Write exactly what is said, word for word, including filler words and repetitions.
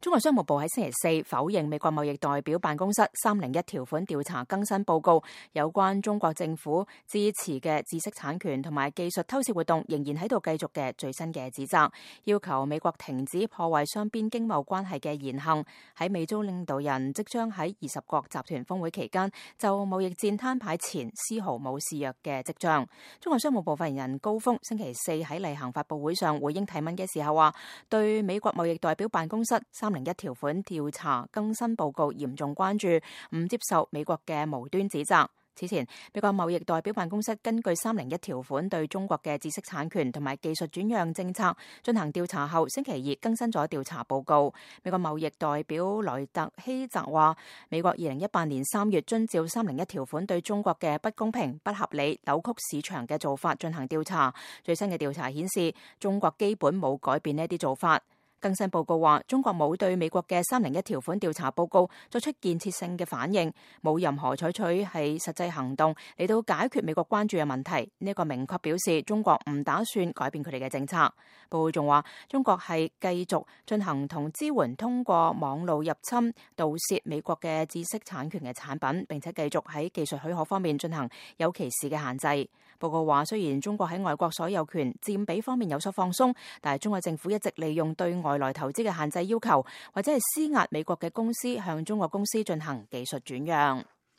中國商務部喺星期四否認美國貿易代表辦公室三零一條款調查更新報告，有關中國政府支持嘅知識產權同埋技術偷竊活動仍然喺度繼續嘅最新嘅指責，要求美國停止破壞雙邊經貿關係嘅言行。喺美中領導人即將喺二十國集團峰會期間就貿易戰攤牌前，絲毫冇示弱嘅跡象。中國商務部發言人高峰星期四喺例行發佈會上回應提問嘅時候話，對美國貿易代表辦公室三零一條款調查更新報告嚴重關注，唔接受美國嘅無端指責。此前，美國貿易代表辦公室根據三零一條款對中國嘅知識產權同埋技術轉讓政策進行調查後，星期二更新咗調查報告。美國貿易代表萊特希澤話，美國二零一八年三月遵照三零一條款對中國嘅不公平、不合理、扭曲市場嘅做法進行調查。最新嘅調查顯示，中國基本冇改變呢啲做法。更新報告話，中國冇對美國嘅三零一條款調查報告作出建設性嘅反應，冇任何採取係實際行動嚟到解決美國關注嘅問題。呢、這、一個明確表示中國唔打算改變佢哋嘅政策。報告仲話，中國係繼續進行同支援通過網路入侵、盜竊美國嘅知識產權嘅產品，並且繼續喺技術許可方面進行有歧視嘅限制。報告話，雖然中國喺外國所有權佔比方面有所放鬆，但係中國政府一直利用對外來投資嘅限制要求，或者係施壓美國嘅公司向中國公司進行技術轉讓。